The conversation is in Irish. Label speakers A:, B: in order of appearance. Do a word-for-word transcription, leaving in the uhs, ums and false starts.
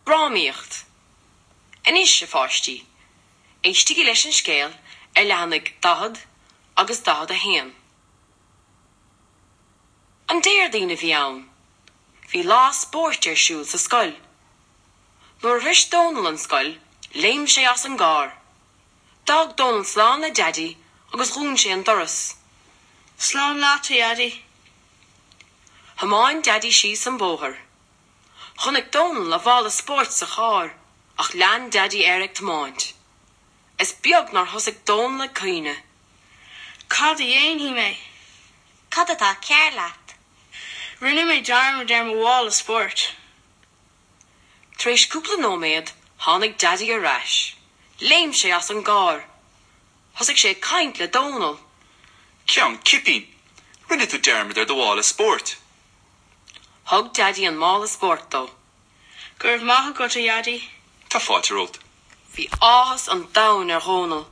A: Drámaíocht. Anois a pháistí, éistigí leis an scéal ar leathanaigh daichead agus daichead a haon. An Déardaoin a bhí ann. Bhí lá spóirt ar siúl sa scoil. Nuair a shroich Dónal an scoil, léim sé as an gcarr. D'fhág Dónal slán le Daidí agus dhún sé an doras.
B: Slán leat a Dhaidí.
A: Thiomáin Daidí síos an bóthar. Chonaic Dónal a mhála spóirt sa charr, ach lean Daidí air ag tiomáint. Is beag nár thosaigh Dónal ag caoineadh.
B: Cad a dhéanfaidh mé?
C: Cad atá cearr leat?
B: Rinne mé dearmad ar mo mhála spóirt.
A: Tar éis cúpla nóiméad tháinig Daidí ar ais. Léim sé as an gcarr. Thosaigh sé ag caint le Dónal.
D: Ceann cipín, Rinne tú dearmad ar do mhála spóirt.
A: Thug Daidí an mála spóirt dó.
B: Go raibh maith agat a Dhaidí.
D: Tá fáilte romhat.
A: Bhí áthas an domhain ar Dhónal.